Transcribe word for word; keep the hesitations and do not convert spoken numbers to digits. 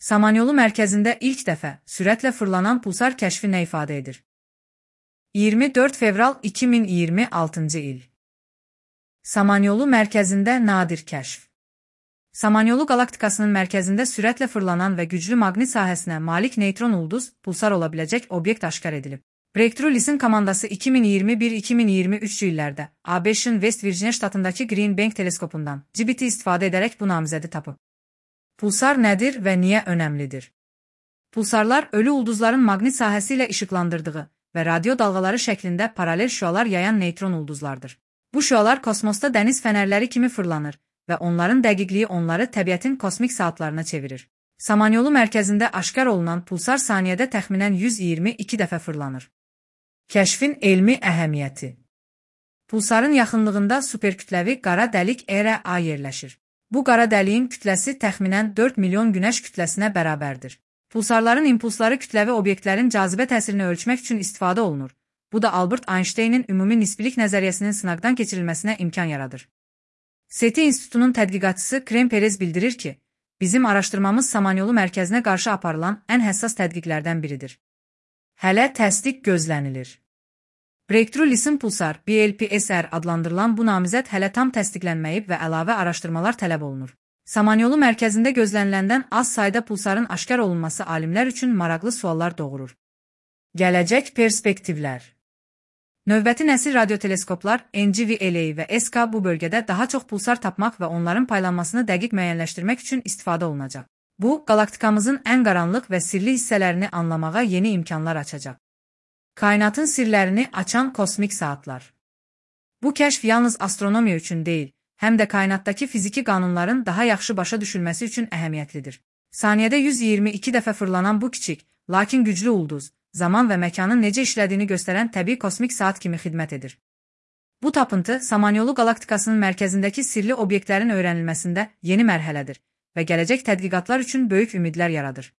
Samanyolu mərkəzində ilk dəfə sürətlə fırlanan pulsar kəşfi nə ifadə edir? iyirmi dörd fevral iki min iyirmi altıncı il. Samanyolu mərkəzində nadir kəşf. Samanyolu qalaktikasının mərkəzində sürətlə fırlanan və güclü maqnit sahəsinə malik neytron ulduz pulsar olabiləcək obyekt aşkar edilib. Breakthrough Listen komandası iki min iyirmi bir iki min iyirmi üç illərdə A B Ş'ın West Virginia ştatındakı Green Bank teleskopundan G B T istifadə edərək bu namizədi tapıb. Pulsar nədir və niyə önəmlidir? Pulsarlar ölü ulduzların maqnit sahəsi ilə işıqlandırdığı və radio dalğaları şəklində paralel şüalar yayan neytron ulduzlardır. Bu şüalar kosmosda dəniz fənərləri kimi fırlanır və onların dəqiqliyi onları təbiətin kosmik saatlarına çevirir. Samanyolu mərkəzində aşkar olunan pulsar saniyədə təxminən yüz iyirmi iki dəfə fırlanır. Kəşfin elmi əhəmiyyəti. Pulsarın yaxınlığında superkütləvi qara dəlik E R A yerləşir. Bu qara dəliyin kütləsi təxminən dörd milyon günəş kütləsinə bərabərdir. Pulsarların impulsları kütləvi obyektlərin cazibə təsirini ölçmək üçün istifadə olunur. Bu da Albert Einstein'in ümumi nisbilik nəzəriyyəsinin sınaqdan keçirilməsinə imkan yaradır. SETI İnstitutunun tədqiqatçısı Krem Perez bildirir ki, bizim araşdırmamız Samanyolu mərkəzinə qarşı aparılan ən həssas tədqiqlərdən biridir. Hələ təsdiq gözlənilir. Breakthrough Listen Pulsar B L P S R adlandırılan bu namizəd hələ tam təsdiqlənməyib və əlavə araşdırmalar tələb olunur. Samanyolu mərkəzində gözləniləndən az sayda pulsarın aşkar olunması alimlər üçün maraqlı suallar doğurur. Gələcək perspektivlər. Növbəti nəsil radioteleskoplar N G V L A və S K bu bölgədə daha çox pulsar tapmaq və onların paylanmasını dəqiq müəyyənləşdirmək üçün istifadə olunacaq. Bu, qalaktikamızın ən qaranlıq və sirli hissələrini anlamağa yeni imkanlar açacaq. Kainatın sirlərini açan kosmik saatlar. Bu kəşf yalnız astronomiya üçün deyil, həm də kainatdakı fiziki qanunların daha yaxşı başa düşülməsi üçün əhəmiyyətlidir. Saniyədə yüz iyirmi iki dəfə fırlanan bu kiçik, lakin güclü ulduz, zaman və məkanın necə işlədiyini göstərən təbii kosmik saat kimi xidmət edir. Bu tapıntı Samanyolu qalaktikasının mərkəzindəki sirli obyektlərin öyrənilməsində yeni mərhələdir və gələcək tədqiqatlar üçün böyük ümidlər yaradır.